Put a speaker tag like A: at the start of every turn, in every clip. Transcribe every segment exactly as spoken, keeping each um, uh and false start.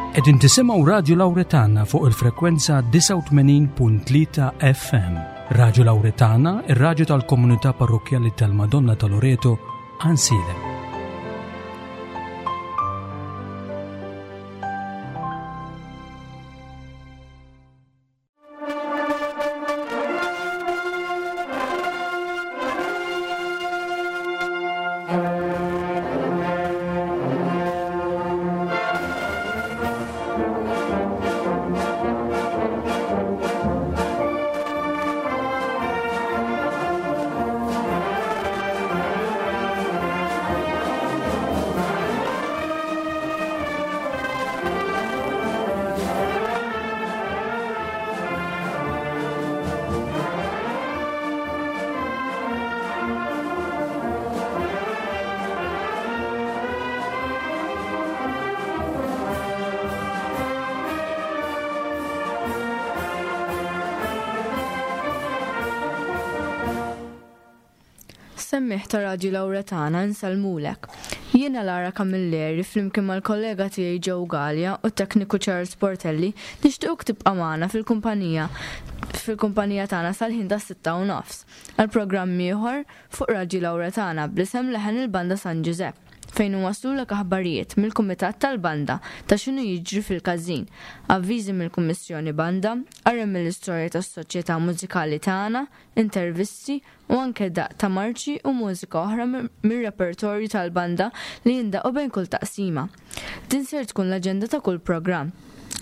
A: Qegħdin tisimgħu Radju Lawretana fuq il-frekwenza disgħa u tmenin punt tlieta F M. Radju Lawretana, ir-radju tal-komunità parrokkjali tal-Madonna ta' Loreto, Għajnsielem.
B: Semmiħ ta' Radju Lawretana nsalmulek. Jiena Lara Camilleri flimkien mal-kollega tiegħi Joe Galea u t-tekniku Charles Portelli nixtiequk tibqa' magħna fil-kumpanija, fil-kumpanija tagħna sal-ħin ta' sitta u nofs għal programm ieħor fuq Radju Lawretana bl-isem Leħen il-Banda San Ġużepp, fejn waslulek aħbarijiet mill-Kumitat tal-Banda ta' x'inhu jiġri fil-każin, avviżi mill-Kummissjoni Banda, qari mill-istorja tas-soċjetà mużikali tagħna, intervisti u anke daq ta' marċi u mużika oħra mir-repertorju tal-banda li jindaqu bejn kull taqsima. Din ser tkun l-aġenda ta' kull programm.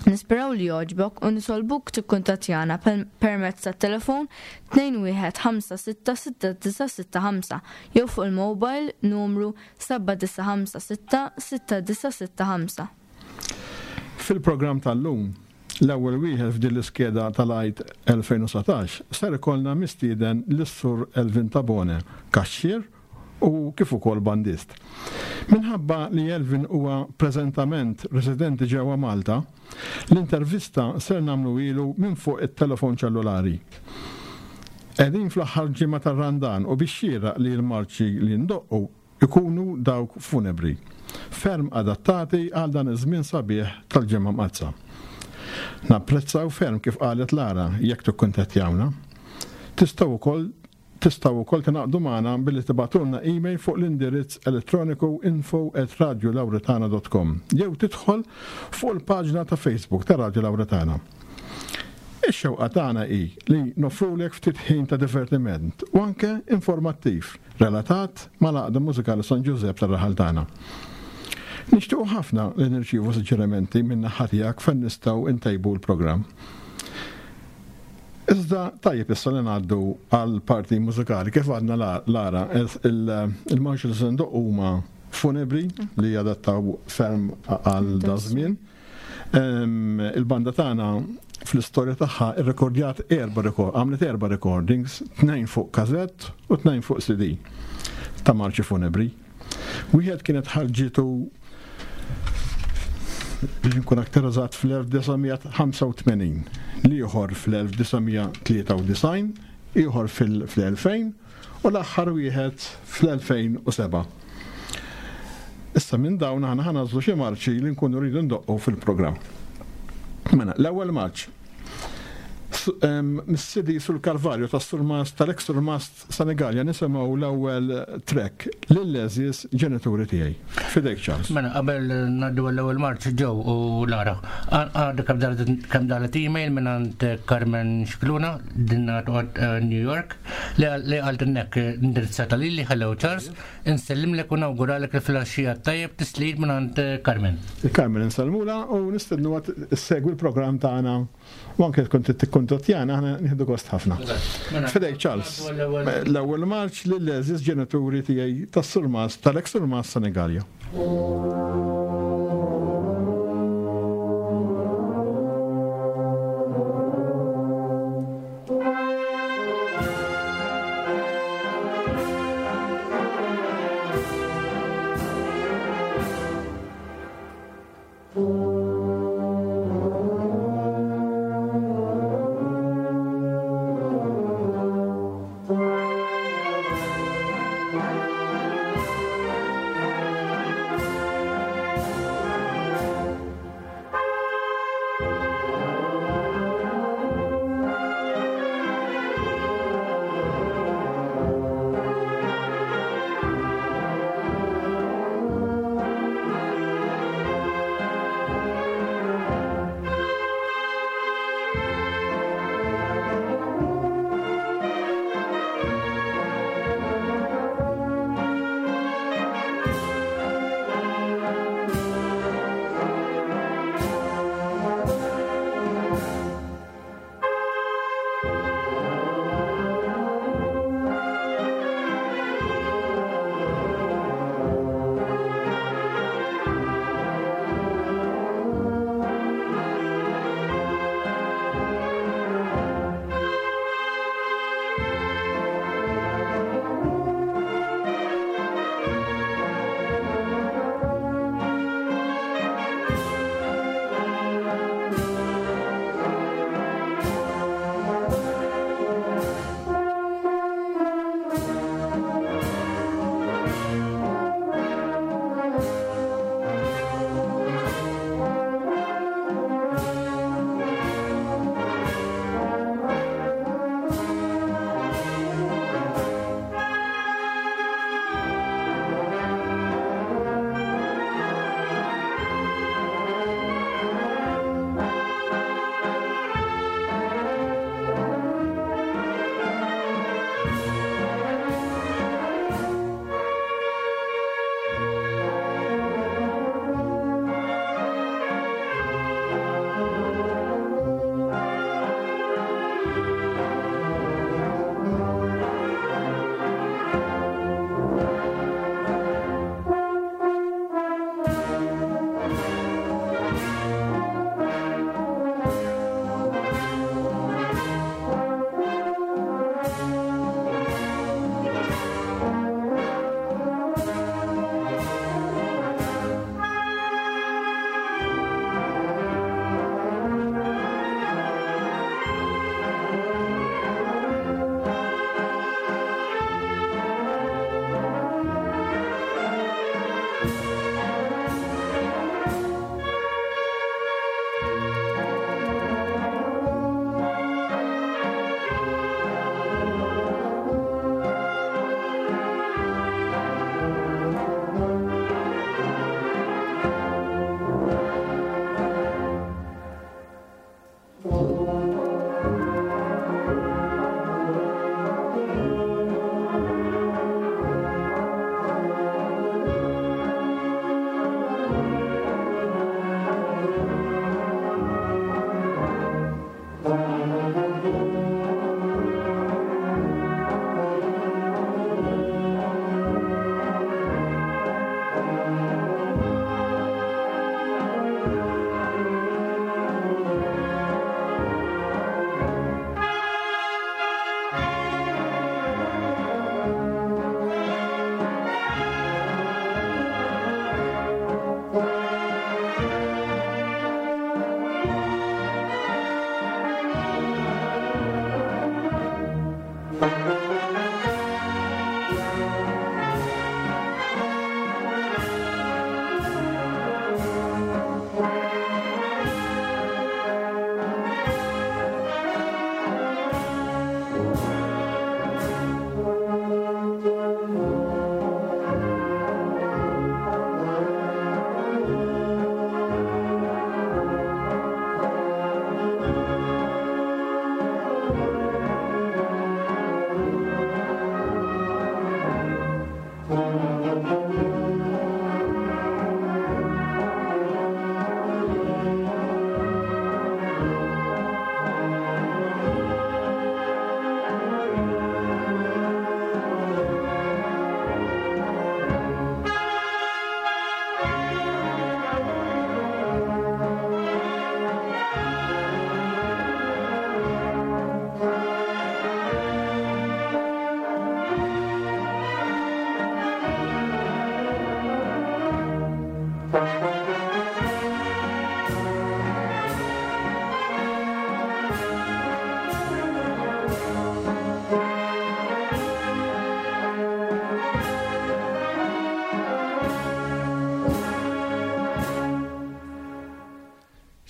B: Nisperaw li jogħġbok u nitolbuk tikkuntattjana permezz tat-telefon tnejn wieħed ħamsa sitta sitta disa' sitta ħamsa jew fuq il-mobile numru seba' disa' ħamsa sitta sitta disa' sitta ħamsa.
C: Fil-programm tal-lum, l-ewwel wieħed f'din l-iskeda tal-Għid elfejn u satax ser ikollna mistieden lis-Sur Elvin Tabone, kaxxier u kif ukoll bandist. Minħabba li Elvin huwa preżentament residenti ġewwa Malta, l-intervista ser nagħmlu ilu minn fuq it-telefon ċellulari. Qegħdin fl-aħħar ġimgħa tar-Randan u biex xieraq li l-marċi li ndoqqu ikunu dawk funebri, ferm adattati għal dan iż-żmien sabiħ tal-Ġimgħa Mqaddsa. Napprezzaw ferm kif qalet Lara jekk tikkuntattjawna. Tistgħu wkoll Tistgħu wkoll tingħaqdu magħna billi tibgħatulna email fuq l-indirizz elettroniku info at radio lawretana dot com jew tidħol fuq il-paġna ta' Facebook ta' Radio Lawretana. Ix-xewqa tagħna hi li nofrulek ftit ħin ta' divertiment u anke informattiv relatat mal-Għaqda Mużikali San Ġużepp tar-raħal tagħna. Nixtiequ ħafna li nirċievu suġġerimenti minn naħa tiegħek fejn nistgħu ntejbu l-programm. Iżda tajjeb issa li ngħaddu għal parti mużikali kif għadna la-, Lara, il-, il-marċi li se ndoqqu huma funebri li jadattaw ferm għal dażmien. Em, il-banda tagħna fl-istorja tagħha irrekordjat erba' rekord, għamlet erba' recordings, tnejn fuq kazett u tnejn fuq C D ta' marċi funebri. Wieħed kienet ħarġitu biex nkun aktar eżatt fl-elf disa' mija ħamsa u tmenin, l-ieħor fl-elf disa' mija tlieta u disgħin, ieħor fil-, fl-elfejn u l-aħħar wieħed fl-elfejn u seba'. Issa minn dawn aħna ħanażlu xi marċi li nkunu rridu ndoqqu fil-programm. Mela, l-ewwel marċ. Su-, em, Mis-C D sul Kalvarju tas-Surmast tal-ex Surmast Senigallia nisimgħu l-ewwel track lill-għeżież ġenituri tiegħi. Fidejk Charles.
D: Mela, qabel ngħaddu għall-ewwel marċ Joe u Lara. Għadha kemm dalet, kemm dalet email minn għand Carmen Scicluna, dinna toqgħod, eh, New York, li għal-, li qaltilnek indirizzata lili, hello Charles, insellimlek u nawguralek il-filgħaxija tajjeb tislid minn għand Carmen.
C: Il-Carmen insellmula u nistednu għad issegwi l-programm tagħna u anke tkun tikkuntattjana aħna nieħdu gost ħafna.
D: Eżatt. Mela,
C: Fidejk Charles.
D: l-ewwel
C: L-ewwel marċ lill-għeżież ġenituri tiegħi tas-Surmast tal-ex Surmast Senigallia.
E: Thank you.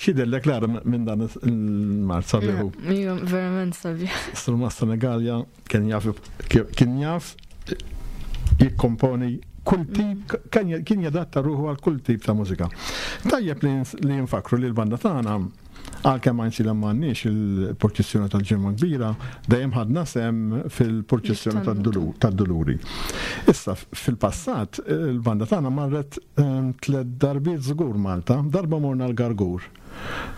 C: X'jidhirlek Lara minn dan il-marċ sabiħ?
B: Ija, verament sabiħ.
C: Surmast Senegalia kien jaf kien jaf jikkomponi kull tip, kien jadatta ruħu għal kull tip ta' mużika. Tajjeb li nfakru li l-banda tagħna għalkemm għajnsi li m'għandniex il-purċissjoni tal-Ġimgħa Kbira, dejjem ħadna sem fil-purċissjoni tad-Duluri. Issa fil-passat il-banda tagħna marret tliet darbiet żgur Malta, darba morna l-Gargur,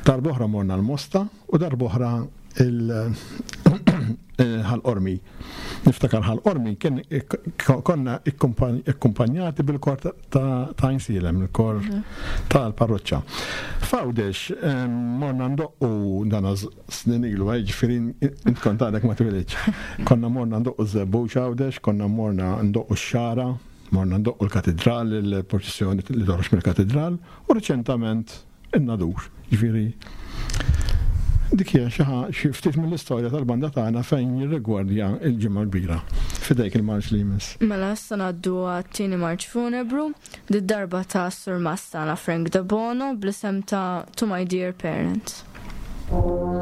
C: darba oħra morna l-Mosta u darba oħra il-Ħal Qormi. Niftakar Ħal Qormi kien konna ikkumpanjati bil-kor ta' Għajnsielem, il-kor tal-parroċċa. F'Għawdex morna ndoqqu dana snin ilu, ġifieri int kont għadek ma twilidx. Konna morna ndoqqu ż-Żebbuġ Għawdex, konna morna ndoqqu x-Xagħra, morna ndoqqu l-Katidral, il-purċissjoni li toħroġ mill-Katidral, u reċentament in-Nadur. Ġifieri dik hija xi xi ftit mill-istorja tal-banda tagħna fejn jirrigwardja il-Ġimgħa Kbira. Fidejk il-marċ li jmiss.
B: Mela issa ngħaddu għat-tieni marċ funebru, did-darba ta' Surmast tagħna Frank Debono bl-isem ta' To My Dear Parents.
E: Thank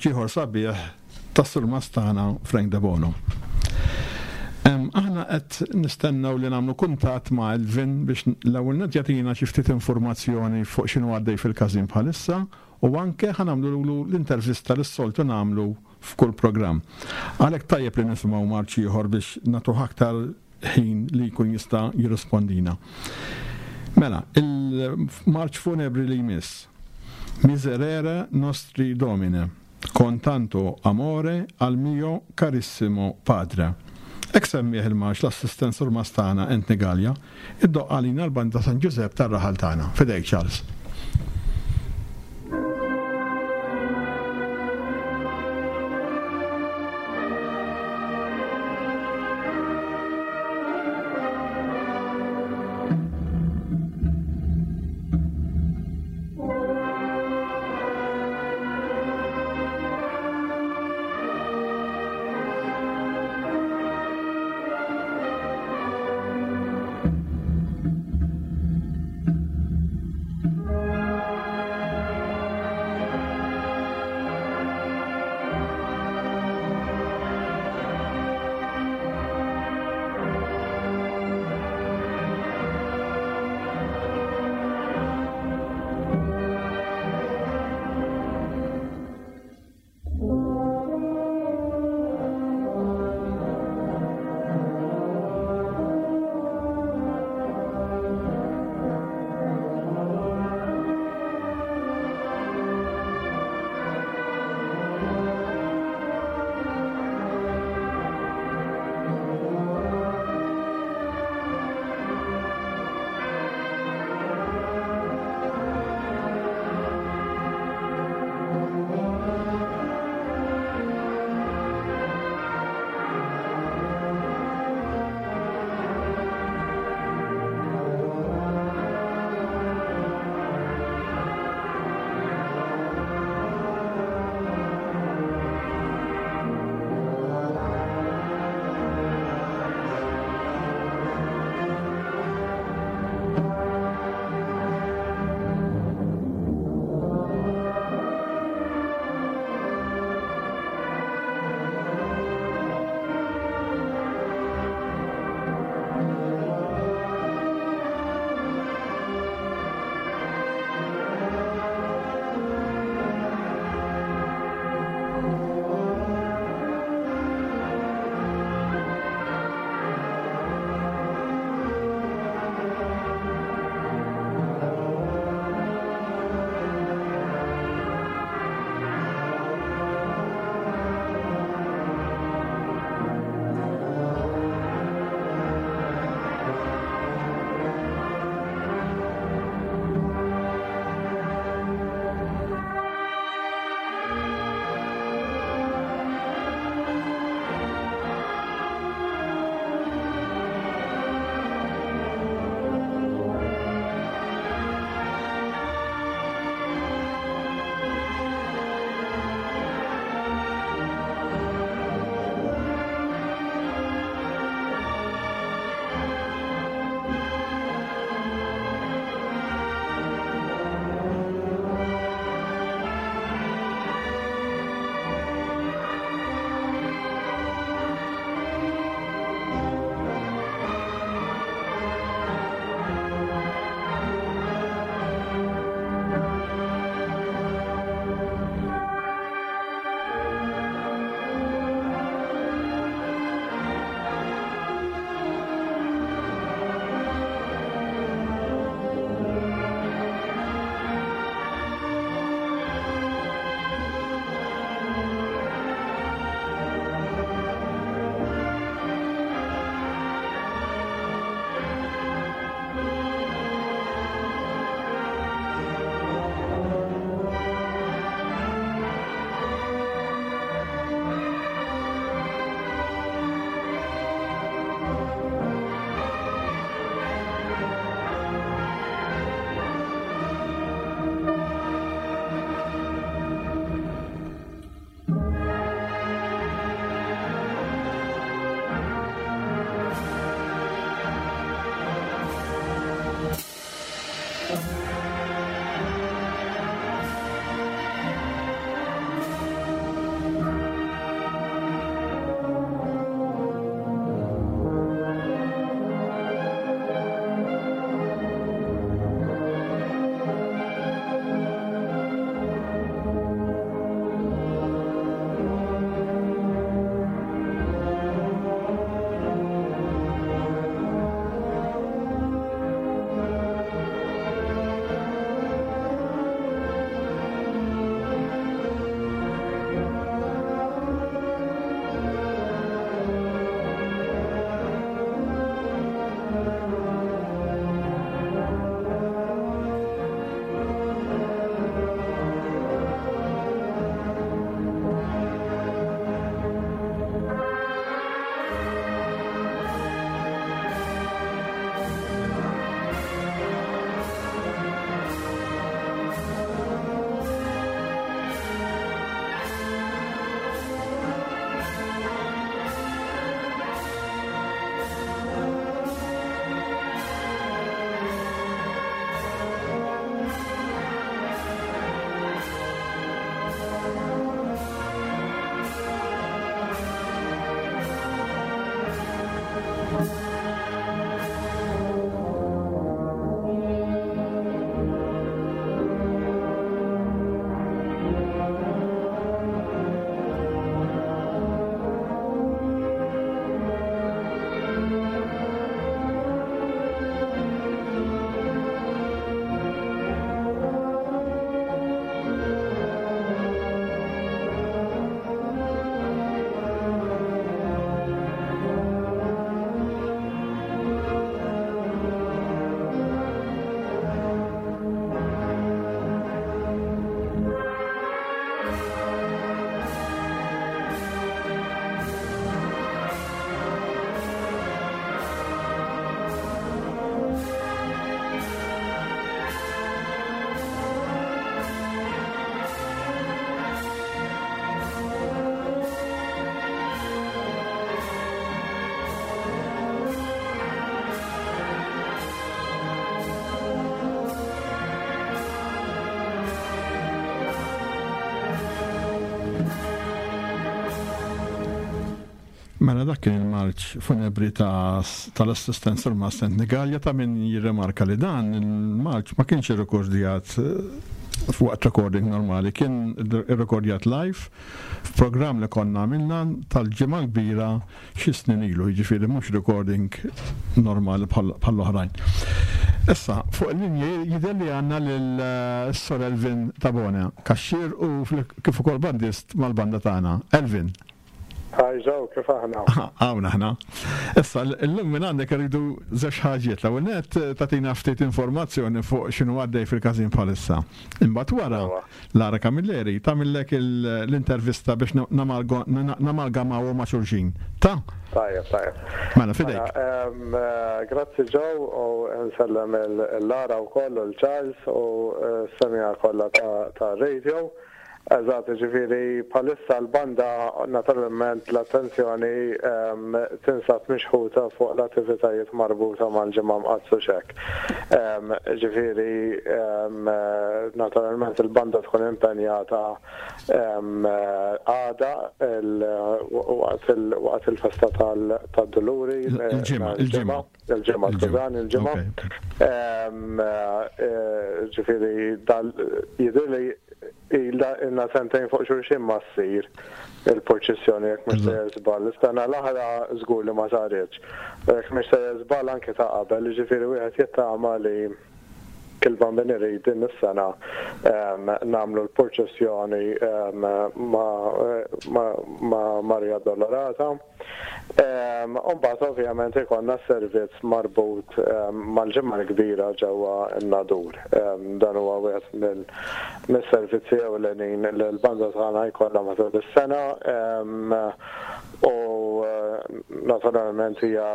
C: marċ ieħor sabiħ tas-surmast tagħna Frank Debono. Aħna qed nistennew li nagħmlu kuntatt ma' Elvin biex l-ewwel nett jagħtina xi ftit informazzjoni fuq x'inhu għaddej fil-każin bħalissa u anke ħa nagħmlu l-intervista li s-soltu nagħmlu f'kull programm. Għalhekk tajjeb li nisimgħu marċ ieħor biex nagħtuh aktar ħin li jkun jista' jirrispondina. Mela, il-marċ funebri li jmiss. Miserere nostri Domine, con tanto amore al mio carissimo padre. Hekk semmih il-marċ l-assistent surmast tagħna Anthony Gallia, iddoqq għalina l-banda San Giuseppe tar-raħal tagħna. Fidejk Charles.
E: Thank
C: Mela dak kien il-marċ funebri tal-assistent Surmast Anthony Gallia. Ta' min jirremarka li dan il-marċ ma kienx irrekordjat f'waqt recording normali, kien irrekordjat live f'programm li konna għamilna tal-Ġimgħa Kbira xi snin ilu, jiġifieri mhux recording normali bħall-oħrajn. Issa, fuq il-linji jidher li għandna lil Sur Elvin Tabone, kaxxir u kif ukoll bandist mal-banda tagħna. Elvin.
E: Hi Joe, kif aħna?
C: Hawn aħna. Issa, l-lum minn għandek rridu żewġ ħaġiet. L-ewwel nett tagħtina ftit informazzjoni fuq x'inhu għaddej fil-każin bħalissa. Imbagħad wara Lara Camilleri tagħmillek l-intervista biex namalgamaw ma' xulxin. Ta'
E: Tajjeb, tajjeb.
C: Mela, fidejk.
E: Grazzi Joe u nsellem il-Lara u koll il-Charles u s-semmiegħa kollha ta' radio. Eżatt, ġifieri bħalissa l-banda naturalment l-attenzjoni tinsab mixħuta fuq l-attivitajiet marbuta mal-Ġimgħa Mqaddsa xek. Ġifieri naturalment il-banda tkun impenjata għada waqt il-festa tad-Duluri.
C: Il-ġimgħa, il-ġimgħa.
E: Il-ġimgħa, skużani, il-ġimgħa. Ġifieri jidhirli ilna sentejn fuq xulxin ma ssir il-purċissjoni, jekk mhux sejjer żball. Is-sena l-oħra żgur li ma saritx. Jekk mhux sejjer żball anke ta' qabel, ġifieri wieħed jittama li il-Bambin irid din is-sena nagħmlu l-purċissjoni ma' Maria Dolorata. Umbagħad ovvjament ikollna servizz marbut mal-Ġimgħa l-Kbira ġewwa n-Nadur. Dan huwa wieħed mill-servizzi ewlenin li l-banda tagħna jkollha matul is-sena u naturalment hija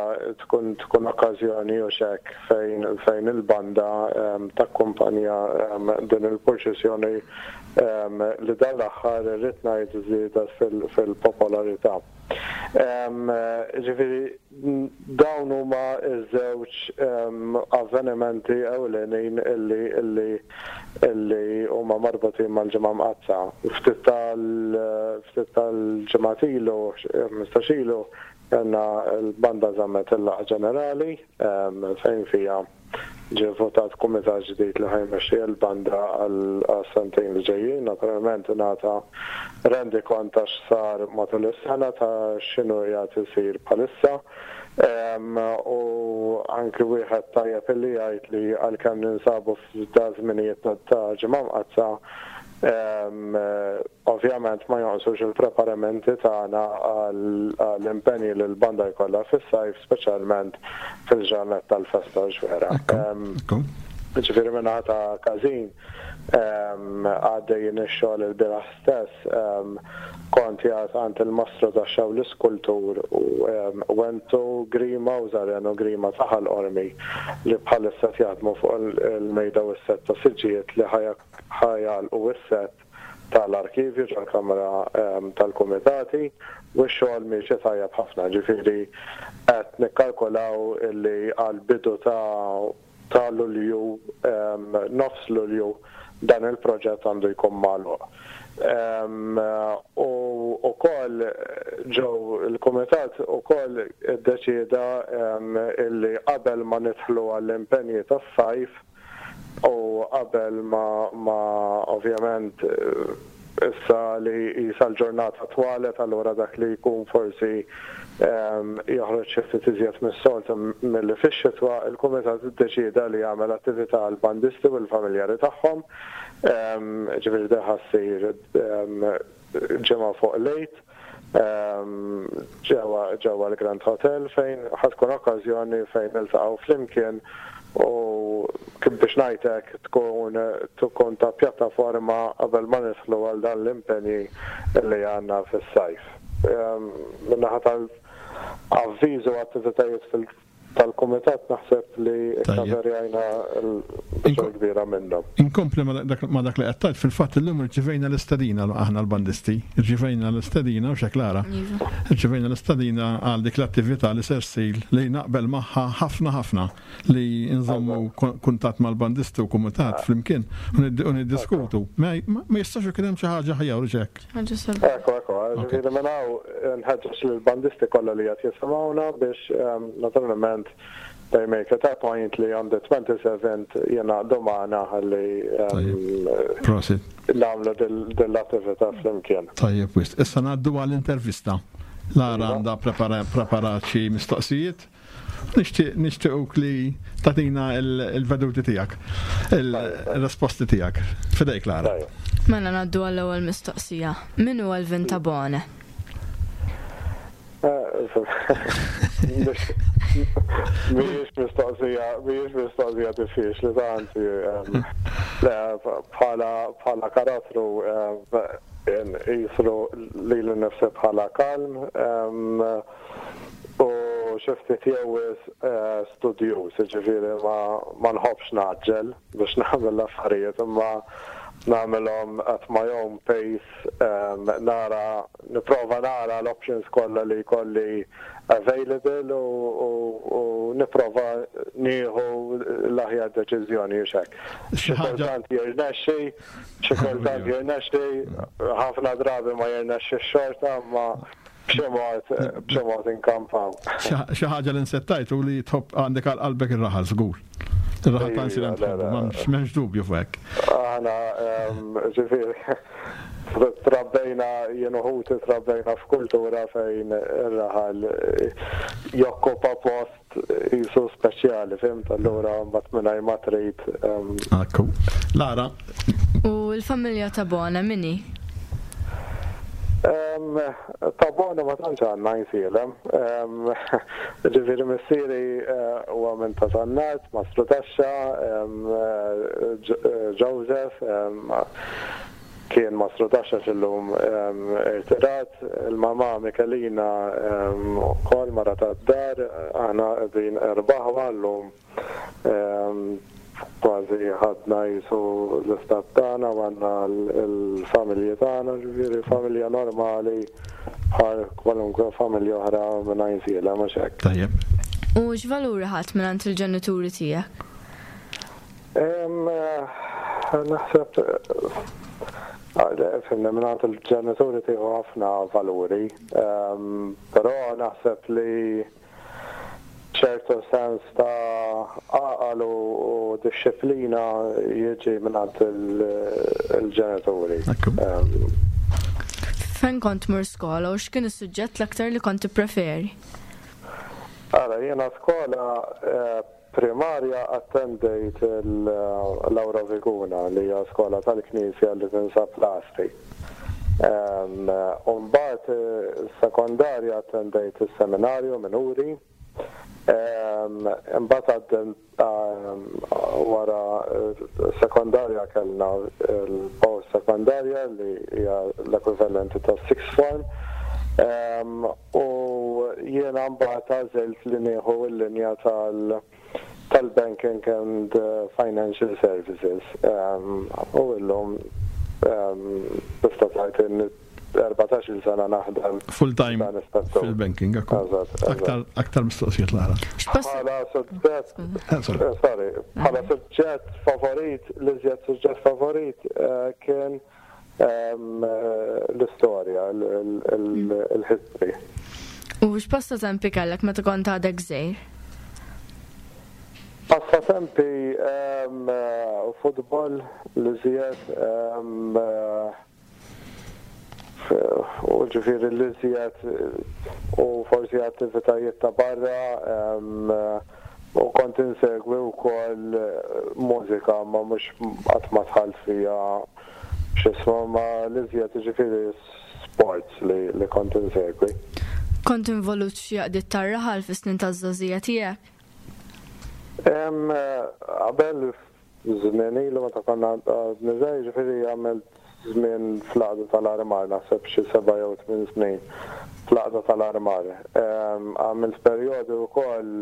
E: tkun tkun okkażjoni u xek fejn fejn il-banda takkumpanja din il-purċissjoni li dan l-aħħar irrid ngħid żdiedet fil-popolarità. Ġifieri dawn huma ż-żewġ avvenimenti ewlenin illi illi illi huma marbutin mal-Ġimgħa Mqaddsa. Ftit tal ftit tal-ġimgħat ilu, ħmistax ilu, kellna l-banda żammet il-laqgħa ġenerali fejn fija ġie votat kumitat ġdid li ħa jmexxi l-banda għal sentejn li ġejjin. Naturalment ngħata rendikont ta' x'sar matul is-sena, ta' x'inhu qiegħed isir bħalissa. U anki wieħed tajjeb illi jgħid li għalkemm ninsabu f'da żminijiet ta' Ġimgħa Mqaddsa, ovvjament ma jonqsux il-preparamenti tagħna għall-impenji li l-banda jkollha fis-sajf, speċjalment fil-ġranet tal-festa ġvera. Ġifieri minna ta' każin għaddejjin ix-xogħol. Il-bieraħ stess kont qiegħed għand il-mastru ta' xaw l-iskultur Wentu Grima u Zareno Grima ta' Ħal Qormi li bħalissa jaħdmu fuq il-mejda u s-set ta' siġġijiet li ħa jagħlqu s-set tal-arkivju ġol-kamra tal-kumitati u x-xogħol miexi tajjeb ħafna, ġifieri qed nikkalkulaw illi għal-bidu ta' ta' Lulju, nofs Lulju, dan il-proġett għandu jkun magħluq. U ukoll ġew il-kumitat ukoll iddeċieda illi qabel ma nidħlu għall-impenji tas-sajf u qabel ma, ma ovvjament issa li jisa l-ġurnata twalet, allura dak li jkun forsi joħroġ xi ftit iżjed mis-soltu milli fix-xitwa, il-kumitat iddeċieda li jagħmel attività għal bandisti u l-familjari tagħhom. Ġifieri din ħa ssir ġimgħa fuq l-Għid ġewwa l-Grand Hotel fejn ħa tkun okkażjoni fejn niltaqgħu flimkien u kif biex ngħidlek tkun tkun ta' pjattaforma qabel ma nidħlu għal dan l-impenji li għandna fis-sajf. Min-naħa tal-avviżu attivitajiet Tal-kumitat naħseb li kkaverjajna l-biċċa kbira minnhom.
C: Inkompli ma dak li qed tgħid, fil-fatt illum irċivejna l-istedina aħna l-bandisti, irċivejna l-istedina u Lara. Irċivejna l-istedina għal dik l-attività li ser ssir li naqbel magħha ħafna ħafna li nżommu kuntatt mal-bandisti u kumitat flimkien u niddiskutu. Ma jistax ikun hemm xi ħaġa aħjar u hekk.
E: Ekku, ekku, ġifieri minn hawn nħeġġeġ lill-bandisti kollha li qed jisimgħuna biex naturalment they make it a point li on the twenty-seventh jingħaqdu magħna ħalli
C: Prosit.
E: nagħmlu dell-attività flimkien.
C: Tajjeb, wisq. Issa ngħaddu għall-intervista. Lara għandha preparat xi mistoqsijiet. Nixtiequk li tagħtina il-veduti tiegħek, il-risposti tiegħek. Fidejk, Lara.
B: Mela ngħaddu għall-ewwel mistoqsija. Min huwa Elvin Tabone?
E: Mhijiex mistoqsija, mhijiex mistoqsija diffiċli tanti. Bħala karattru jisru li l-nifsi bħala kalm u xi ftit jew studjuż, ġifieri ma nħobbx ngħaġġel biex nagħmel l-affarijiet, imma nagħmelhom at my own pace, nara, nipprova nara l-options kollha li jkolli available u nipprova nieħu l-aħjar deċiżjoni u hekk. Xi kultant jirnexxi, xi kultant jirnexxi, ħafna drabi ma jirnexxi xorta, ma b'xi mod b'xi mod inkampaw.
C: Xi ħaġa li nsettajt u li tħobb għandek għal qalbek ir-raħal żgur. Ir-raħal ta' m'hemmx dubju fuq hekk.
E: Aħna ġifieri trabbejna, jien u ħuti trabbejna f'kultura fejn ir-raħal jokkupa post jisu speċjali, fhimt, allura mbagħad mingħajr ma trid.
C: Ekku. Lara.
B: U l-familja Tabone min hi?
E: Tabone ma tantx għandna Għajnsielem. Ġifieri missieri huwa minn Ta' Sannat, Mastru Taxxa, Joseph, kien Mastru Taxxa x'illum irtirat, il-mama Michelina ukoll mara tad-dar, aħna qegħdin erba' aħwa llum kważi ħadna jisu l-istat tagħna u għandna l-familji tagħna, ġifieri familja normali bħal kwalunkwe familja oħra minn Għajnsielem, mhux hekk.
C: Tajjeb.
B: U x'valuri ħadd mingħand il-ġenituri tiegħek?
E: Naħseb fimna mingħand il-ġenituri tieħu ħafna valuri, però naħseb li ċertu sens ta' għaqal u disċiplina jiġi mingħand il-ġenituri.
B: Fejn kont tmur skola u x'kien is-suġġett l-aktar li kont tippreferi?
E: Ara, jiena skola primarja attendejt il-Laura Viguna li hija skola tal-Knisja li tinsab l-Għasri. U mbagħad sekondarja attendejt is-seminarju minuri. Imbagħad wara sekondarja kellna l-post sekondarja li hija l-ekwivalenti ta' sixth form. U jiena mbagħad għażilt li nieħu l-linja tal-banking and financial services. U illum tista' tgħid erbatax-il sena naħdem
C: full time fil-banking. Aktar aktar mistoqsijiet, Lara.
E: Bħala suġġett, sorry, bħala suġġett favorit, l-iżjed suġġett favorit kien l-istorja, il-history.
B: U x'passatempi kellek meta kont għadek żgħir?
E: Passatempi futbol, l-iżjed, u ġifieri l-iżjed u forsi attivitajiet ta' barra, u kont insegwi wkoll mużika, ma mhux qatt ma dħalt fija x'ismu, ma l-iżjed ġifieri sports li, li kont insegwi.
B: Kont involut f'xi għaqdiet tar-raħal fis-snin taż-żgħożija tiegħek?
E: Qabel żmien ilu meta konna għadni żgħir, ġifieri għamilt żmien fl-għaqda tal-armar, naħseb xi seba' jew tmien snin fl-għaqda tal-armar. Għamilt perjodu wkoll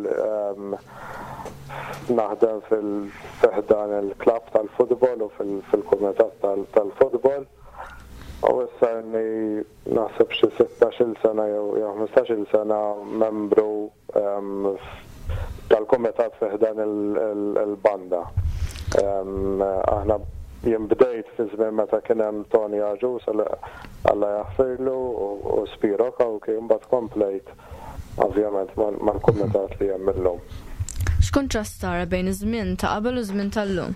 E: naħdem fil-ħdan il-klabb tal-futbol u fil-kumitat tal-futbol. U issa inni naħseb xi sittax-il sena jew ħmistax-il sena membru tal-kumitat fi ħdan il-banda. Aħna jien bdejt fi żmien meta kien hemm Tony Agius, Alla jaħfirlu, u Spiro Cauchi, mbagħad komplejt ovvjament mal-kumitat li hemm illum.
B: X'kuntrast tara bejn iż-żmien ta' qabel u żmien tal-lum?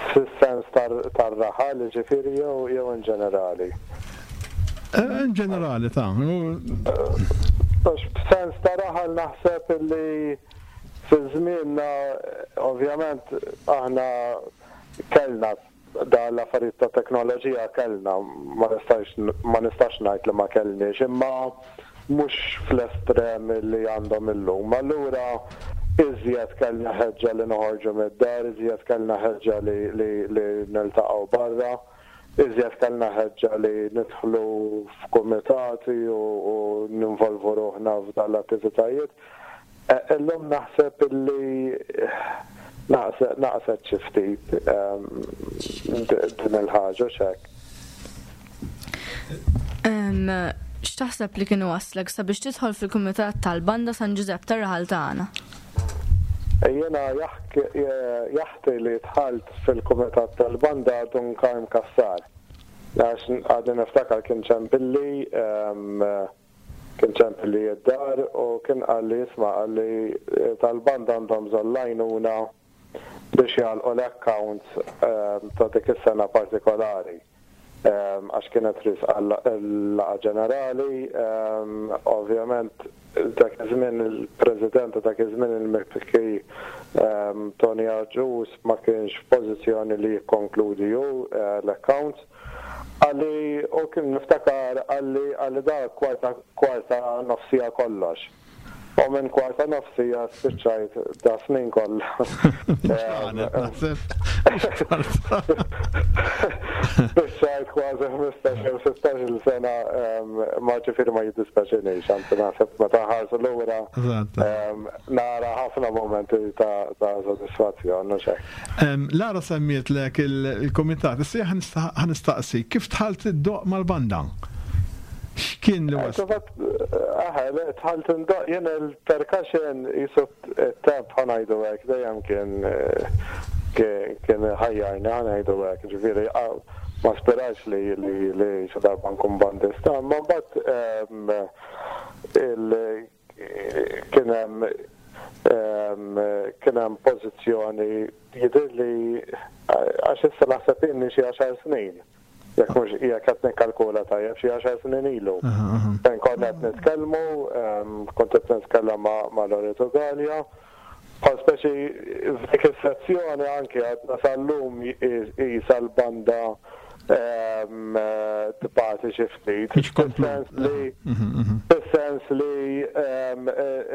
E: Fis-sens tar-raħal, ġifieri, jew in ġenerali?
C: In ġenerali ta'
E: F'sens ta' raħal naħseb li fi żmienna ovvjament aħna kellna da l-affarijiet ta' teknoloġija, kellna, ma nistax ma nistax ngħid li ma kellniex, imma mhux fl-estrem li għandhom illum. Allura iżjed kellna ħeġġa li noħorġu mid-dar, iżjed kellna ħeġġa li li niltaqgħu barra, iżjed kellna ħeġġa li nidħlu f'kumitati u ninvolvu ruħna f'dan l-attivitajiet. Illum naħseb illi naqset xi ftit din il-ħaġa x'hekk.
B: X'taħseb li kienu waslek sabiex tidħol fil-kumitat tal-Banda San Ġużepp tar-raħal tagħna?
E: Jiena jaħti li dħalt fil-kumitat tal-banda Dun Karm Cassar. Għax għadni niftakar kien ċempilli, kien ċempilli id-dar u kien qalli isma', qalli tal-banda għandhom bżonn l-għajnuna biex jagħlqu l-accounts ta' dik is-sena partikolari. Għax kienet risqa l-laqgħa ġenerali, ovvjament dak iż-żmien il-President ta' dak iż-żmien il-Mifki Tony Agius ma kienx f'pożizzjoni li jikkonkludi hu l-accounts. Qalli, u kien niftakar qalli qalli da kwarta kwarta nofsija kollox. U minn kwarta nofsija spiċċajt da snin kollha. Spiċċajt kważi ħmistax jew sittax-il sena, ma ġifieri ma jiddispeċinix, anzi naħseb meta ħarsu lura nara ħafna momenti ta' sodisfazzjon u xejn.
C: Lara semmietlek il-kumitat, issa ħanistaqsi kif dħalt id-doq mal-banda? X'kien li wasal?
E: Dħalt indoq jien il-percussion jisu t-temp ħanajdu hekk, dejjem kien kien ħajjarni ħanajdu hekk, ġifieri ma sperax li li xi darba nkun bandista, imma mbagħad kien hemm kien hemm pożizzjoni jidhirli għax issa naħseb inni xi għaxar snin. Jekk mhux jekk qed nikkalkula tajjeb xi għaxar snin ilu. Fejn konna qed nitkellmu, kont qed nitkellem ma' Loreto Galea. Bħal speċi f'dik is-sezzjoni anke għadna sal-lum qisha l-banda tibgħati xi ftit. Fis-sens li fis-sens li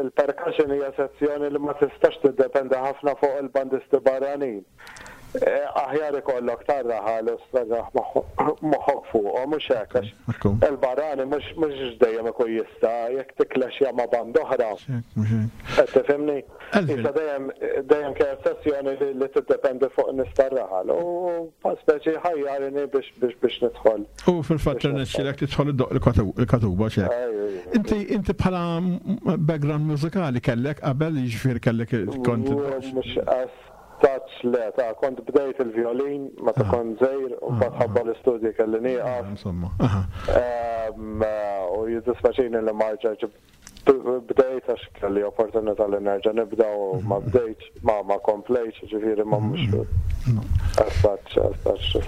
E: il-percussion hija sezzjoni li ma tistax tiddependi ħafna fuq il-bandisti barranin. Aħjar ikollok tar-raħal u sserraħ moħħok fuqhom, mhux hekk, għax il-barrani mhux dejjem ikun jista' jekk tiklexja ma' band oħra. Qed tifhimni? Issa dejjem dejjem kienet sessjoni li tiddependi fuq nies tar-raħal u speċi ħajjarini biex biex biex nidħol.
C: U fil-fatt irnexxielek tidħol iddoq il-katuba x'hekk. Inti inti bħala background mużikali kellek qabel, jiġifieri kellek kont
E: Mhux Taċ le, ta' kont bdejt il-violin meta kont żgħir u mbagħad ħabba l-istudji kelli nieqaf.
C: Insomma.
E: U jiddispaċini li ma rġgħetx bdejt għax kelli opportunità li nerġa' nibda u ma bdejtx, ma ma komplejtx, ġifieri ma mhux as such, as such.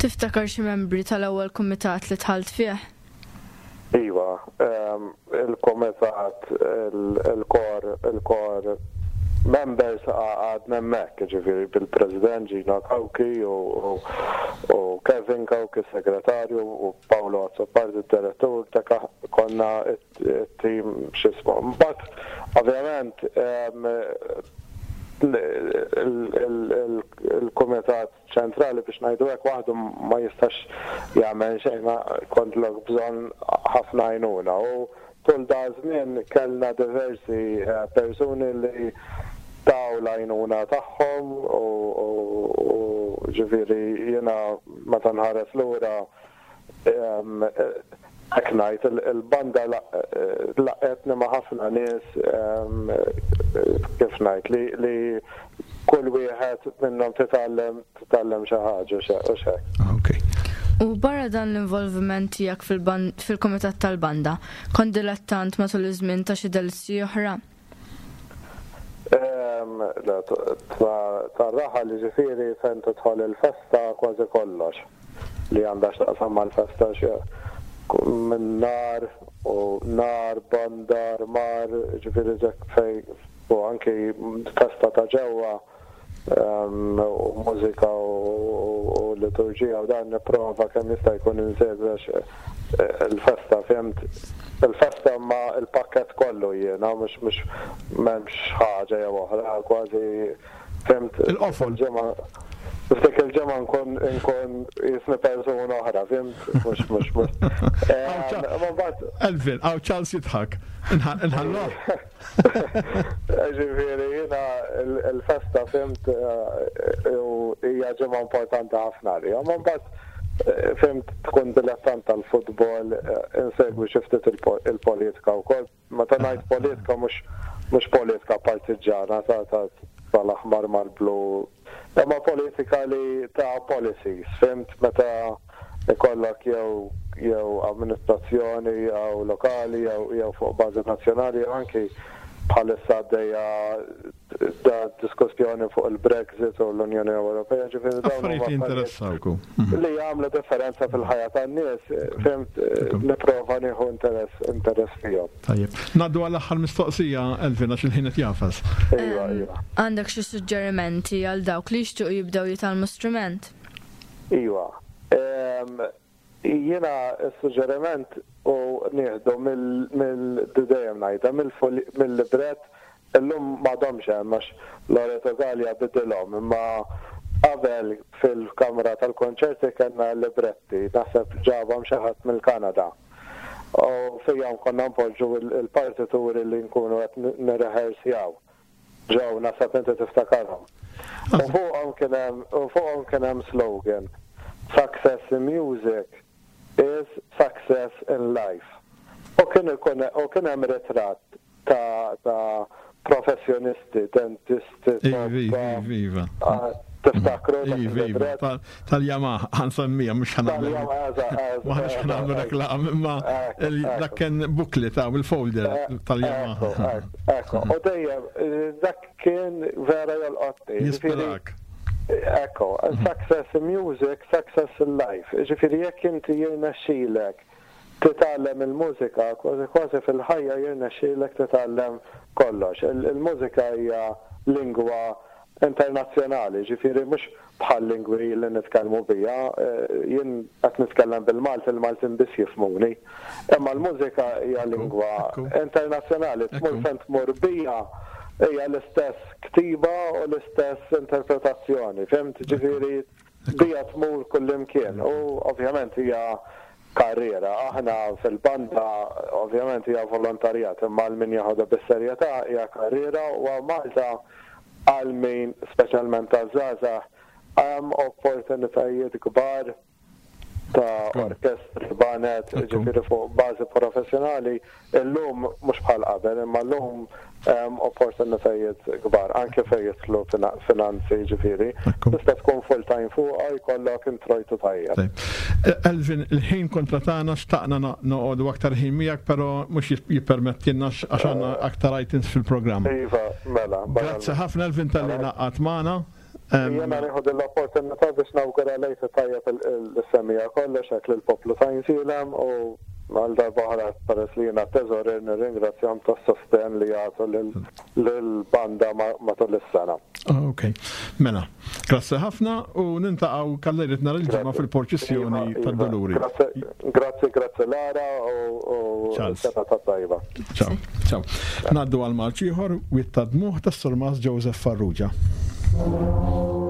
B: Tiftakar xi membri tal-ewwel kumitat li dħalt fih?
E: Iva, il-kumitat, il-kor, il-kor members għadna hemmhekk, ġifieri bil-President Gino Cauchi u Kevin Cauchi, segretarju, u Paolo Azzopardi, direttur, ta' konna it-tim x'ismu. Mbagħad, ovvjament, Il-Kumitat Ċentrali, biex ngħidu hekk, waħdu ma jistax jagħmel xejn, ikollok bżonn ħafna għajnuna. U tul da żmien kellna diversi eh, persuni li taw l-għajnuna tagħhom u ġifieri jiena meta nħares lura hekk ngħid, il-banda laqqgħetni ma' ħafna nies, kif ngħid, li kull wieħed minnhom titgħallem titgħallem xi ħaġa u xek.
C: Okay.
B: U barra dan l-involviment tiegħek fil-kumitat tal-banda, kont dilettant matul iż-żmien ta' xi delizzi oħra?
E: Tar-raħal, ġifieri fejn tidħol il-festa, kważi kollox li għandha x'taqsam mal-festa, minn nar u nar, banda, mar, ġifieri fej u anki festa ta' ġewwa u mużika u liturġija u dan nipprova kemm jista' jkun insegwi il-festa, fhimt, il-festa ma il-pakket kollu jiena, mhux mhux m'hemmx ħaġa jew oħra, kważi, fhimt.
C: Il-qofol.
E: F'dik il-ġimgħa nkun nkun jisni persuna oħra, fhimt, mhux mhux mhux.
C: Elvin, hawn Charles jidħak. Inħallu.
E: Ġifieri jiena il-festa, fhimt, u hija ġimgħa importanti ħafna li. Ma mbagħad, fhimt, tkun dilettant tal-futbol, insegwi xi ftit il-politika wkoll. Meta ngħid politika, mhux mhux politika partiġana ta' tal-aħmar mal-blu. Imma politika li ta' policies, fhimt, meta ikollok jew jew amministrazzjoni jew lokali jew jew fuq bażi nazzjonali, jew anki bħalissa għaddejja da diskussjoni fuq il-Brexit u l-Unjoni Ewropea, ġifieri dawn
C: Affarijiet li interessawku.
E: Li jagħmlu differenza fil-ħajja tan-nies, fhimt, nipprova nieħu interess interess fihom.
C: Tajjeb. Ngħaddu għall-aħħar mistoqsija, Elvin, għax il-ħin qed jagħfas.
E: Iva, iva.
B: Għandek xi suġġerimenti għal dawk li jixtiequ jibdew jitgħallmu strument?
E: Iva. Jiena s-suġġeriment u nieħdu mill-dejjem ngħidha mill-libret, illum m'għadhomx hemm għax Loreto Gallia bidilhom, imma qabel fil-kamra tal-konċerti kellna libretti, naħseb ġabhom xi ħadd mill-Kanada. U fihom konna npoġġu il-partituri li nkunu qed nirrehearsjaw. Ġew, naħseb inti tiftakarhom. U fuqhom kien hemm u fuqhom kien hemm slogan: "Success in music is success in life." U kien ikun u kien hemm ritratt ta' ta' professjonisti, dentisti,
C: Iva, iva.
E: Tiftakru?
C: Iva, iva. Tal-Yamaha, ħa nsemmija, mhux ħa nagħmlu. M'aħniex ħa nagħmlu reklam, imma dak kien booklet ta' il-folder tal-Yamaha.
E: Ekku, u dejjem, dak kien vera jolqotni.
C: Jispirak.
E: Ekku, success in music, success in life. Ġifieri jekk inti jirnexxilek titgħallem il-mużika, kważi kważi fil-ħajja jirnexxilek titgħallem kollox. Il-mużika hija lingwa internazzjonali, ġifieri mhux bħal lingwi li nitkellmu biha, jien qed nitkellem bil-Malti, il-Maltin biss jifhmuni. Imma l-mużika hija lingwa internazzjonali, tmur fejn tmur biha, hija l-istess ktiba u l-istess interpretazzjoni, fhimt, ġifieri biha tmur kullimkien u ovvjament hija karriera. Aħna fil-banda ovvjament hija volontarjat, imma għal min jaħodha bis-serjetà hija karriera u Malta għal min, speċjalment taż-żgħażagħ, hemm opportunitajiet kbar ta' orkestri, baned, ġifieri fuq bażi professjonali, illum mhux bħal qabel, imma llum hemm opportunitajiet kbar, anke fejn jidħlu finanzi, ġifieri. Tista' tkun full time fuqha, jkollok introjtu tajjeb.
C: Elvin, il-ħin kontra tagħna, xtaqna noqogħdu aktar ħin miegħek, però mhux jippermettilna għax għandna aktar items fil-programm.
E: Iva, mela.
C: Grazzi ħafna, Elvin, talli ngħaqadt magħna.
E: Jena nieħu l-opportunità biex nawgura l-Għid tajjeb lis-semmiegħa kollox hekk lill-poplu ta' Għajnsielem u Għal darba oħra peress li jiena teżorier nirringrazzjahom tas-sosten li jagħtu lill-banda matul is-sena.
C: Ok, mela, grazzi ħafna u niltaqgħu kallejlet nhar il-Ġimgħa fil-purċissjoni
E: Iva, iva.
C: tad-Duluri.
E: Grazzi, grazzi Lara u
C: Charles.
E: sena ta' tajba.
C: Ciao, ciao. Ngħaddu għal marċ ieħor Wied ta' Dmugħ tas-Surmas Joseph Farrugia.
F: Thank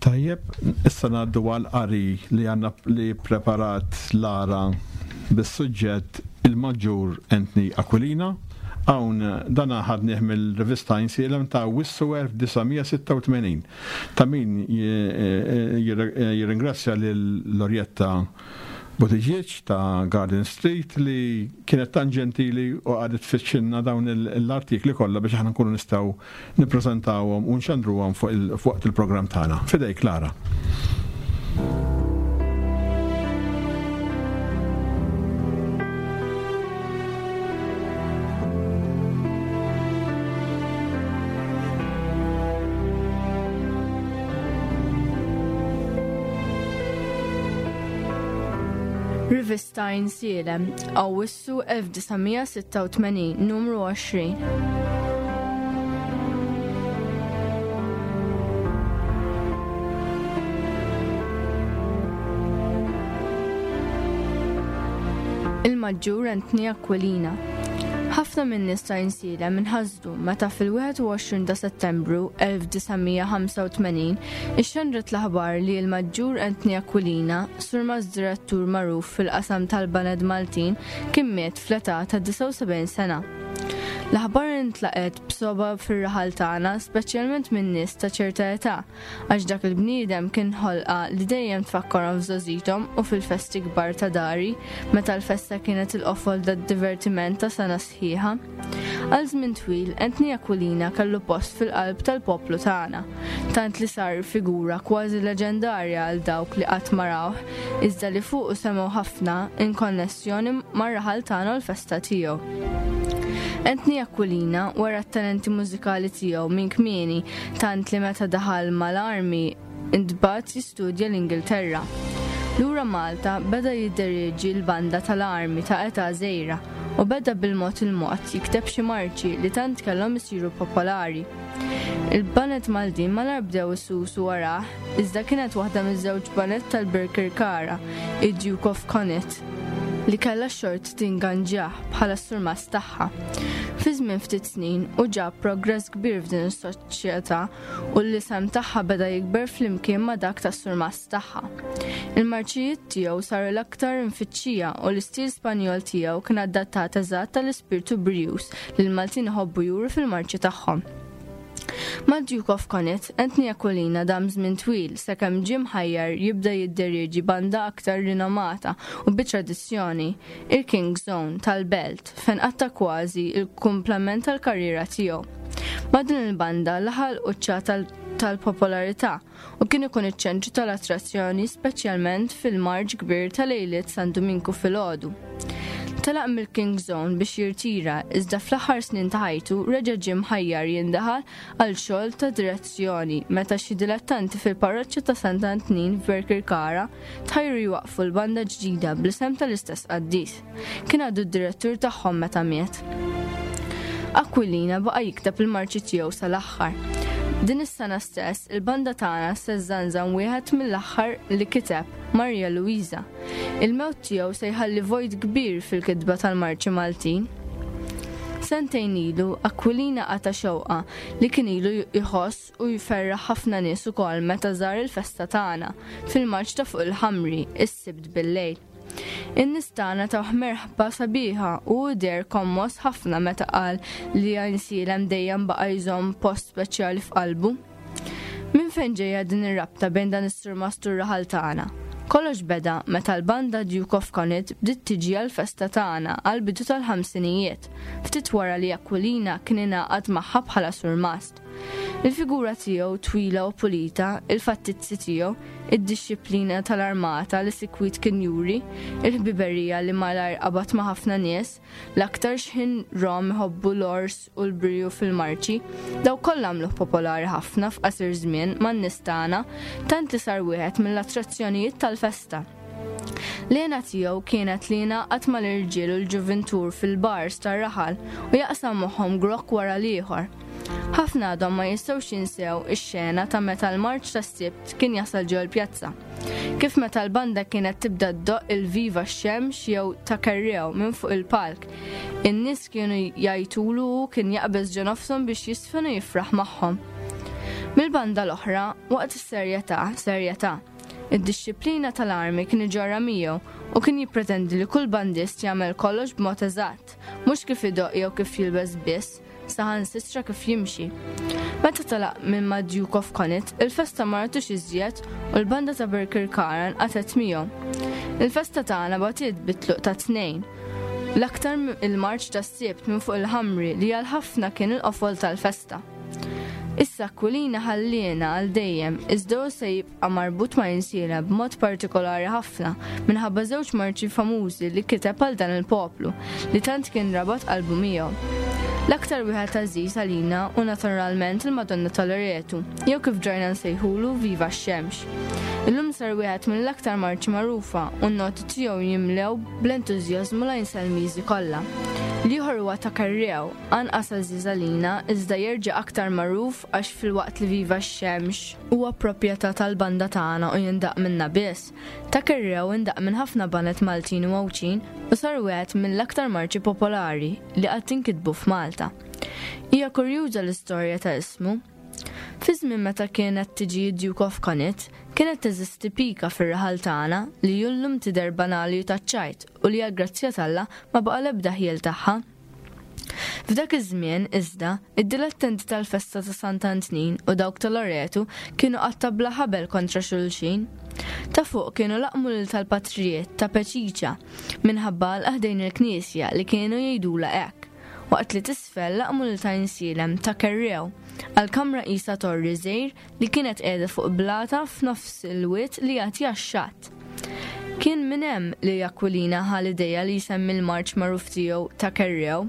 C: Tajjeb, issa ngħaddu għal qari li għandna li preparat Lara bis-suġġett il-Maġġur Anthony Aquilina. Hawn dan ħadnieh mill-rivista Għajnsielem ta' Awwissu elf disa' mija sitta u tmenin. Ta' min jirringrazzja lil Lorietta Buttigieg ta' Garden Street li kienet tan ġentili u qagħdet tfittxilna dawn l-artikli kollha biex aħna nkunu nistgħu nippreżentawhom u nxandruhom fuq waqt il-programm tagħna. F'idejk, Lara.
B: Rivista Għajnsielem, Awwissu elf disa' mija sitta u tmenin, numru għoxrin. Il-Maġġur Anthony Aquilina. Ħafna minn nies ta' Għajnsielem inħasdu meta fil-wieħed u għoxrin ta' Settembru elf disa' mija ħamsa u tmenin ixxandret l-aħbar li l-Maġġur Anthony Aquilina, surmast direttur magħruf fil-qasam tal-Baned Maltin, kien miet fl-età ta' disgħa u sebgħin sena. L-aħbar intlaqet b'sogħba fir-raħal tagħna, speċjalment minn nies ta' ċerta età, għax dak il-bniedem kien ħolqa li dejjem tfakkarhom f'żgħożithom u fil-festi kbar ta' dari, meta l-festa kienet il-qofol tad-divertiment ta' sena sħiħa. Għal żmien twil, Anthony Aquilina kellu post fil-qalb tal-poplu tagħna, tant li sar figura kważi leġendarja għal dawk li qatt ma rawh, iżda li fuqu semgħu ħafna in konnessjoni mar-raħal tagħna u l-festa tiegħu. Anthony Aquilina wera t-talenti mużikali tiegħu minn kmieni, tant li meta daħal mal-armi intbagħat jistudja l-Ingilterra. Lura Malta beda jidderieġi l-banda tal-armi ta' età żgħira u beda bil-mod il-mod jikteb xi marċi li tant kellhom isiru popolari. Il-baned Maltin malajr bdew isusu warah, iżda kienet waħda miż-żewġ baned tal-Birkirkara, id-Duke of Connaught, li kellha xort tinganġah bħala surmast tagħha. Fi żmien ftit snin u ġab progress kbir f'din is-soċjetà u l-isem tagħha beda jikber flimkien ma' dak tas-surmast tagħha. Il-marċijiet tiegħu saru l-aktar imfittxija u l-istil Spanjol tiegħu kien adattat eżatt tal-ispirtu brijuż li l-Maltin iħobbu juru fil-marċi tagħhom. Ma' Duke of Connaught, Anthony Aquilina dam żmien twil sakemm ġie mħajjar jibda jidderieġi banda aktar rinomata u bi tradizzjoni, il-King's Own tal-Belt, fejn qatta kważi il-kumplament tal-karriera tiegħu. Ma' din il-banda laħaq il-quċċata tal-popolarità u kien ikun iċ-ċentru tal-attrazzjoni, speċjalment fil-marċ kbir tal-lejliet San Duminku filgħodu. Telaq mill-King's Own biex jirtira, iżda fl-aħħar snin ta' ħajtu reġa' ġie mħajjar jindaħal għal xogħol ta' direzzjoni meta xi dilettanti fil-parroċċa ta' Sant'Antnin f'Birkirkara tħajru jwaqfu l-banda ġdida bl-isem tal-istess qaddis. Kien għadu d-direttur tagħhom meta miet. Aquilina baqa' jikteb il-marċi tiegħu sal-aħħar. Din is-sena stess, il-banda tagħna se żżanżan wieħed mill-aħħar li kiteb, Maria Luisa. Il-mewt tiegħu se jħalli vojt kbir fil-kitba tal-marċi Maltin. Sentejn ilu, Aquilina qata' xewqa li kien ilu jħoss u jferraħ ħafna nies ukoll meta żar il-festa tagħna fil-marċ ta' fuq il-Ħamri, is-Sibt bil-lejl. In-nies tagħna tawh merħba sabiħa u deher kommos ħafna meta qal li Għajnsielem dejjem baqa' jżomm post speċjali f'qalbu. Minn fejn ġejja din ir-rabta bejn dan is-surmast u r-raħal tagħna? Kollox beda meta l-banda Duke of Connaught bdiet tiġi għal-festa tagħna għal-bidu tal-ħamsinijiet, ftit wara li Aquilina kien ingħaqad magħha bħala surmast. Il-figura tiegħu twila u pulita, il-fattizzi tiegħu, id-dixxiplina tal-armata li sikwit kien juri, il-ħbiberija li malajr qabad ma' ħafna nies, l-aktar xħin rom iħobbu l-ors u l-briju fil-marċi, dawn kollha għamluh popolari ħafna f'qasir żmien man-nies tagħna, tant li sar wieħed mill-attrazzjonijiet tal-festa. L-hena tiegħu kienet li jingħaqad mal-irġiel u l-ġuvintur fil-bars tar-raħal u jaqsam magħhom grokk wara l-ieħor. Ħafna għadhom ma jistgħux jinsew ix-xena ta' meta l-marċ tas-Sibt kien jasal ġol pjazza. Kif meta l-banda kienet tibda ddoqq il-Viva x-Xemx jew ta' Kerrew minn fuq il-palk. In-nies kienu jgħajtulu u kien jaqbeż ġo nofshom biex jiżfen u jifraħ magħhom. Mill-banda l-oħra, waqt is-serjetà, serjetà. Id-dixxiplina tal-armi kien iġorra miegħu u kien jippretendi li kull bandist jagħmel kollox b'mod eżatt, mhux kif idoq jew kif jilbes biss, saħansitra kif jimxi. Meta telaq minn ma' Duke of Connaught, il-festa ma ratux iżjed u l-banda ta' Birkirkara nqatgħet miegħu. Il-festa tagħna batiet bit-tluq ta' tnejn. L-aktar il-marċ tas-Sibt minn fuq il-ħamri li għal ħafna kien il-qofol tal-festa. Issa Aquilina ħalliena għal dejjem, iżda hu se jibqa' marbut ma' Għajnsielem b'mod partikolari ħafna minħabba żewġ marċi famużi li kiteb għal dan il-poplu li tant kien rabat qalbu miegħu. L-aktar wieħed għażiż għalina u naturalment il-Madonna tal-Loretu, jew kif ġajna nsejħulu Viva x-Xemx. Illum sar wieħed mill-aktar marċi magħrufa u n-noti tiegħu jimlew bl-entużjażmu l-Għajnselmiżi kollha. L-ieħor huwa ta' Kerrew, anqas għażiż għalina iżda jerġa' aktar magħruf għax filwaqt li Viva x-Xemx huwa proprjetà tal-banda tagħna u jindaq minna biss. Ta' Kerrew indaq minn ħafna baned Maltin u Għawdxin u sar wieħed mill-aktar marċi popolari li qatt inkitbu f'Malta. Hija kurjuża l-istorja ta' ismu. Fi żmien meta kienet tiġi Duke of Connaught, kienet teżisti pika fir-raħal tagħna li llum tidher banali u taċ-ċajt u li għall-grazzja t'Alla ma baqa' l-ebda ħjiel tagħha. F'dak iż-żmien iżda, id-dilettenti tal-festa ta' Sant'Antnin u dawk ta' Loretu kienu qatta' bla ħabel kontra xulxin. Ta' fuq kienu laqmu lil tal-patrijiet ta' Peċiċa minħabba l-ħdejn il-knisja li kienu jgħidulha hekk, waqt li t'isfel laqmu lil ta' Għajnsielem ta' Kerrew għal kamra qisha torri żgħir li kienet qiegħda fuq blata f'nofs il-wied li jagħti għax-xatt. Kien minn hemm li Aquilina ħa l-idea li jsemmi l-marċ magħruf tiegħu ta' Kerrew.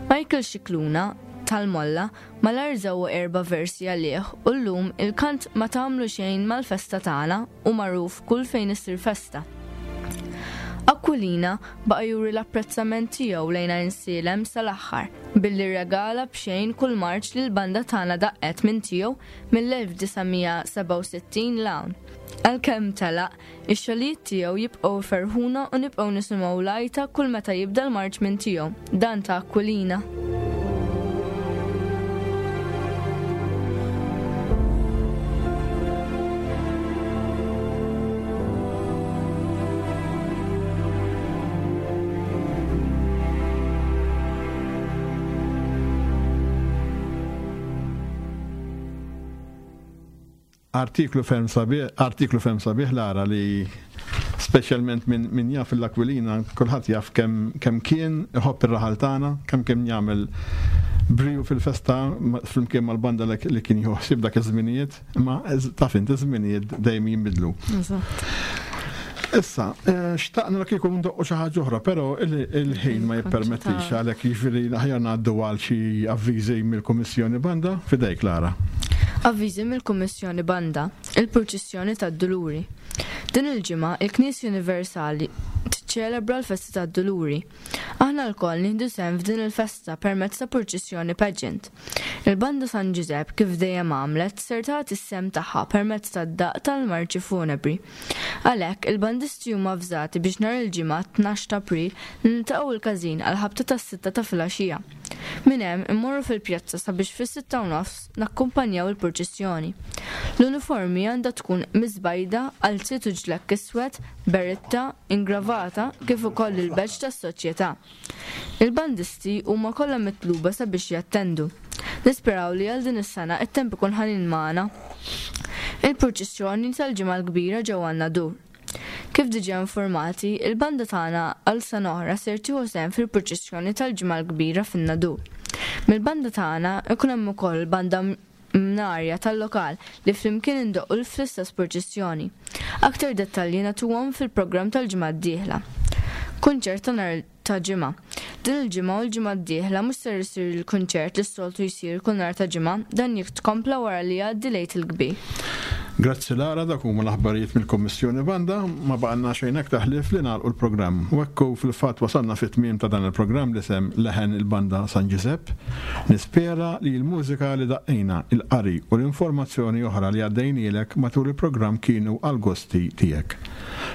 B: Michael Scicluna tal-Molla malajr żewwa erba' versi għalih u llum il-kant ma tagħmlu xejn mal-festa tagħna u magħruf kull fejn issir festa. Aquilina baqa' juri l-apprezzament tiegħu lejn Għajnsielem sal-aħħar billi regala b'xejn kull marċ li l-banda tagħna daqqet minn tiegħu mill-elf disa' mija sebgħa u sittin 'l hawn. Għalkemm telaq, ix-xogħlijiet tiegħu jibqgħu jferħuna u nibqgħu nisimgħu l-għajta kull meta jibda l-marċ minn tiegħu, dan ta' Aquilina.
C: Artiklu ferm sabiħ, artiklu ferm sabiħ Lara li speċjalment minn min jaf l-Aquilina, kulħadd jaf kemm, kemm kien iħobb ir-raħal tagħna, kemm kien jagħmel briju fil-festa flimkien mal-banda li, li kien jħossib dak iż-żminijiet, imma taf inti iż-żminijiet dejjem jinbidlu.
B: Eżatt.
C: Issa, eh, xtaqna li kieku ndoqqu xi ħaġa oħra, però il-, il-ħin ma jippermettix għalhekk jiġifieri aħjar ngħaddu għal xi avviżi mill-Kummissjoni Banda. Fidejk, Lara.
B: Avviżi mill-Kummissjoni Banda, il-Purċissjoni tad-Duluri. Din il-ġimgħa il-Knisja Universali tiċċelebra l-festa tad-Duluri. Aħna lkoll nieħdu sehem f'din il-festa permezz ta' purċissjoni pageant. Il-Banda San Ġużepp kif dejjem għamlet ser tagħti s-sehem tagħha permezz tad-daqq tal-marċi funebri. Għalhekk il-bandisti huma avżati biex nhar il-ġimgħa tnax ta' April niltaqgħu l-każin għal ħabta tas-sitta ta' filgħaxija. Minn hemm immorru fil-pjazza sabiex fis-sitta u nofs nakkumpanjaw il-purċissjoni. L-uniformi għandha tkun miżbajda għal sitt u ġlekk iswed, beretta, ingravata kif ukoll il-badge tas-soċjetà. Il-bandisti huma kollha mitluba sabiex jattendu. Nisperaw li għal din is-sena it-temp ikun ħanin magħna. Il-purċissjoni tal-Ġimgħa l-Kbira ġewwa n-Nadur. Kif diġà informati, il-banda tagħna għal sena oħra ser tieħu sehem fil-purċissjoni tal-Ġimgħa l-Kbira fin-Nadur. Mill-banda tagħna ikun hemm ukoll banda mnarja tal-lokal li flimkien indoqqu fl-istess purċissjoni. Aktar dettalji nagħtuhom fil-programm tal-ġimgħa d-dieħla. Kunċert ta' nhar ta' ġimgħa. Din il-ġimgħa u l-ġimgħa d-dieħla mhux ser isir il-kunċert li s-soltu jsir kull nhar ta' ġimgħa, dan jitkompla wara li jgħaddi l-Għid il-Kbir.
C: Grazzi Lara, dak huma l-aħbarijiet mill-Kummissjoni Banda, ma baqgħna xejn aktar ħlief li nagħlqu l-programm. U hekk fil-fatt wasalna fit-tmiem ta' dan il-programm li sem Leħen il-Banda San Ġużepp. Nispera li l-mużika li daqqejna, il-qari u l-informazzjoni oħra li għaddejnielek matul il-programm kienu għal gosti tiegħek.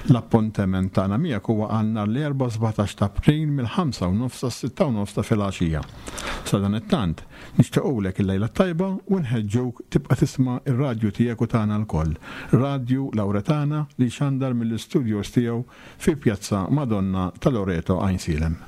C: L-appuntament tagħna miegħek huwa għal nhar l-Erbgħa sbatax ta' April mill-ħamsa u nofs sas-sitta u nofs ta' filgħaxija. Sadanittant, nixtiequlek il-lejla tajba u nħeġġuk tibqa' tisma' ir-radju tiegħek u tagħna lkoll. Radju Lauretana li xandar mill-istudios tiegħu fi Pjazza Madonna ta' Loreto, Għajnsielem.